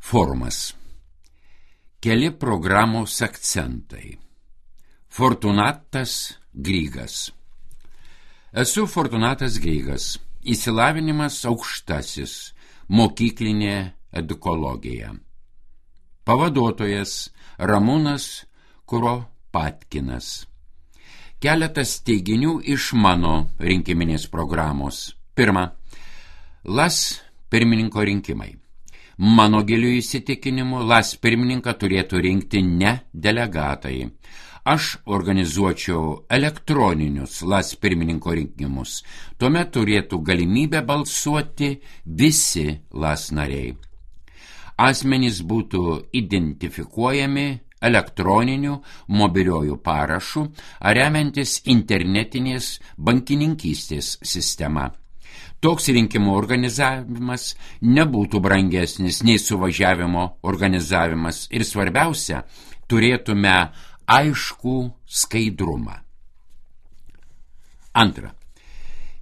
Forumas. Keli programos akcentai. Fortunatas Grygas. Esu Fortunatas Grygas. Išsilavinimas aukštasis. Mokyklinė edukologija. Pavaduotojas Ramūnas Kuropatkinas. Keletas teiginių iš mano rinkiminės programos. Pirma, LAS pirmininko rinkimai. Mano giliu įsitikinimu, LAS pirmininką turėtų rinkti ne delegatai. Aš organizuočiau elektroninius LAS pirmininko rinkimus. Tuomet turėtų galimybę balsuoti visi LAS nariai. Asmenys būtų identifikuojami elektroniniu mobiliuoju parašu ar remiantis internetinės bankininkystės sistema. Toks rinkimų organizavimas nebūtų brangesnis nei suvažiavimo organizavimas ir svarbiausia, turėtume aiškų skaidrumą. Antra,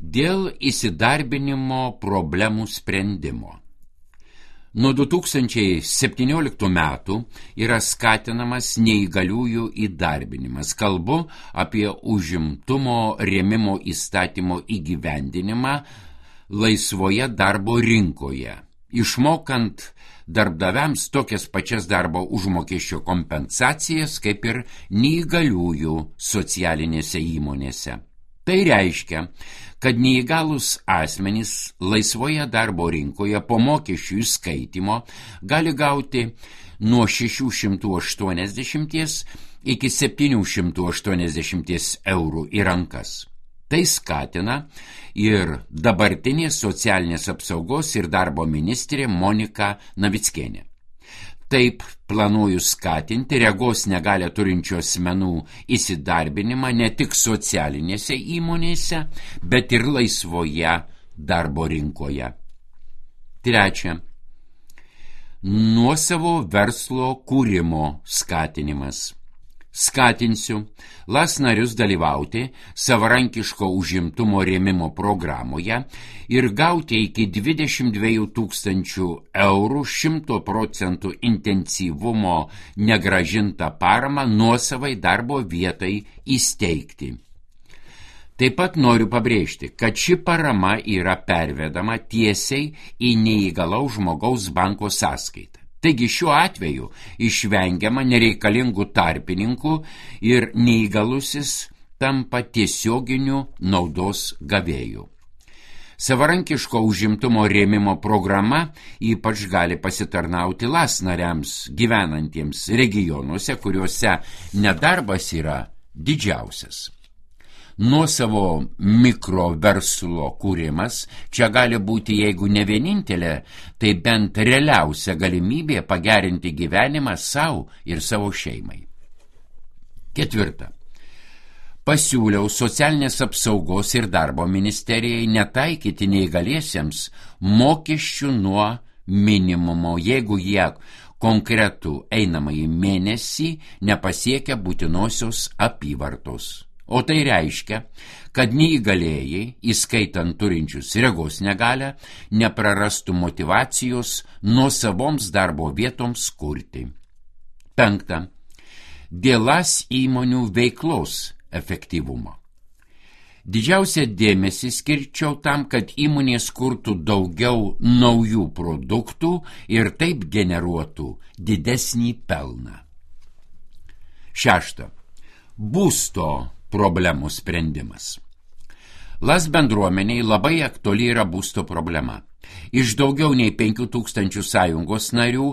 dėl įsidarbinimo problemų sprendimo. Nuo 2017 metų yra skatinamas neįgaliųjų įdarbinimas. Kalbu apie užimtumo rėmimo įstatymo įgyvendinimą laisvoje darbo rinkoje, išmokant darbdaviams tokias pačias darbo užmokesčio kompensacijas kaip ir neįgaliųjų socialinėse įmonėse. Tai reiškia, kad neįgalūs asmenys laisvoje darbo rinkoje po mokesčių įskaitimo gali gauti nuo 680 iki 780 eurų į rankas. Tai skatina ir dabartinė socialinės apsaugos ir darbo ministrė Monika Navickienė. Taip planuoju skatinti regos negalią turinčių asmenų įsidarbinimą ne tik socialinėse įmonėse, bet ir laisvoje darbo rinkoje. Trečia, nuosavo verslo kūrimo skatinimas. Skatinsiu LAS narius dalyvauti savarankiško užimtumo rėmimo programoje ir gauti iki 22 000 eurų 100% intensyvumo negrąžintą paramą nuosavai darbo vietai įsteigti. Taip pat noriu pabrėžti, kad ši parama yra pervedama tiesiai į neįgalaus žmogaus banko sąskaitą. Taigi šiuo atveju išvengiama nereikalingų tarpininkų ir neįgalusis tampa tiesioginiu naudos gavėju. Savarankiško užimtumo rėmimo programa ypač gali pasitarnauti LAS nariams gyvenantiems regionuose, kuriuose nedarbas yra didžiausias. Nuosavo mikroverslo kūrimas čia gali būti, jeigu ne vienintelė, tai bent realiausia galimybė pagerinti gyvenimą savo ir savo šeimai. Ketvirta. Pasiūliau socialinės apsaugos ir darbo ministerijai netaikyti neįgaliesiems mokesčių nuo minimumo, jeigu jie konkretų einamąjį mėnesį nepasiekia būtinosios apyvartos. O tai reiškia, kad neįgalėjai, įskaitant turinčius regos negalią, neprarastų motyvacijos nuosavoms darbo vietoms kurti. Penkta. Dėl LAS įmonių veiklos efektyvumo. Didžiausią dėmesį skirčiau tam, kad įmonės kurtų daugiau naujų produktų ir taip generuotų didesnį pelną. Šešta. Būsto problemų sprendimas. LAS bendruomeniai labai aktuali yra būsto problema. Iš daugiau nei 5000 sąjungos narių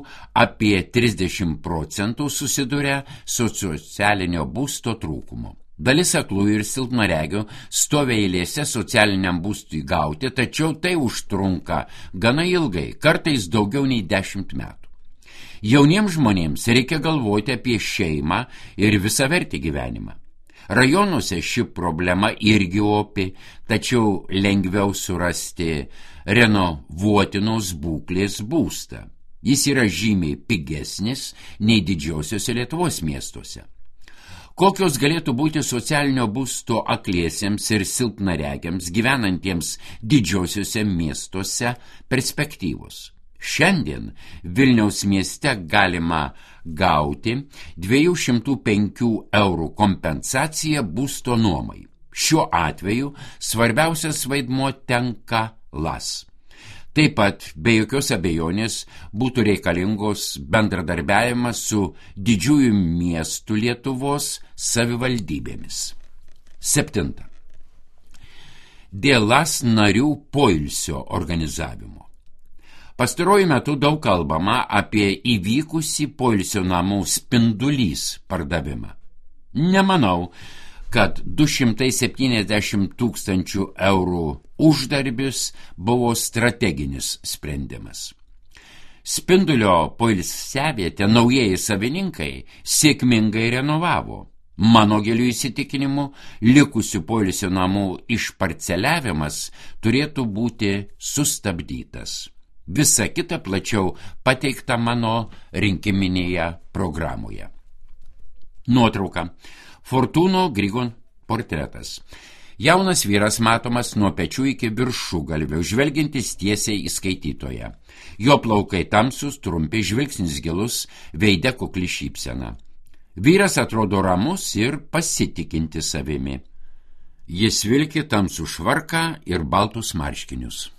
apie 30% susiduria su socialinio būsto trūkumu. Dalis aklųjų ir silpnaregių stovi eilėse socialiniam būstui gauti, tačiau tai užtrunka gana ilgai, kartais daugiau nei 10 metų. Jauniems žmonėms reikia galvoti apie šeimą ir visavertį gyvenimą. Rajonuose ši problema irgi opi, tačiau lengviau surasti renovuotinos būklės būstą. Jis yra žymiai pigesnis nei didžiosiuose Lietuvos miestuose. Kokios galėtų būti socialinio būsto akliesiems ir silpnaregiams gyvenantiems didžiosiuose miestuose perspektyvos? Šiandien Vilniaus mieste galima gauti 205 eurų kompensaciją būsto nuomai. Šiuo atveju svarbiausias vaidmuo tenka LAS. Taip pat, be jokios abejonės, būtų reikalingos bendradarbiavimas su didžiųjų miestų Lietuvos savivaldybėmis. 7. Dėl LAS narių poilsio organizavimo. Pastaruoju metu daug kalbama apie įvykusį poilsio namų Spindulys pardavimą. Nemanau, kad 270 000 eurų uždarbis buvo strateginis sprendimas. Spindulio poilsiavietę naujieji savininkai sėkmingai renovavo. Mano giliu įsitikinimu, likusių poilsio namų išparceliavimas turėtų būti sustabdytas. Visa kita plačiau pateikta mano rinkiminėje programoje. Nuotrauka. Fortūno Grigon portretas. Jaunas vyras matomas nuo pečių iki viršugalvio, žvelgiantis tiesiai į skaitytoją. Jo plaukai tamsus, trumpi, žvilgsnis gilus, veide kukli šypsena. Vyras atrodo ramus ir pasitikinti savimi. Jis vilki tamsų švarką ir baltus marškinius.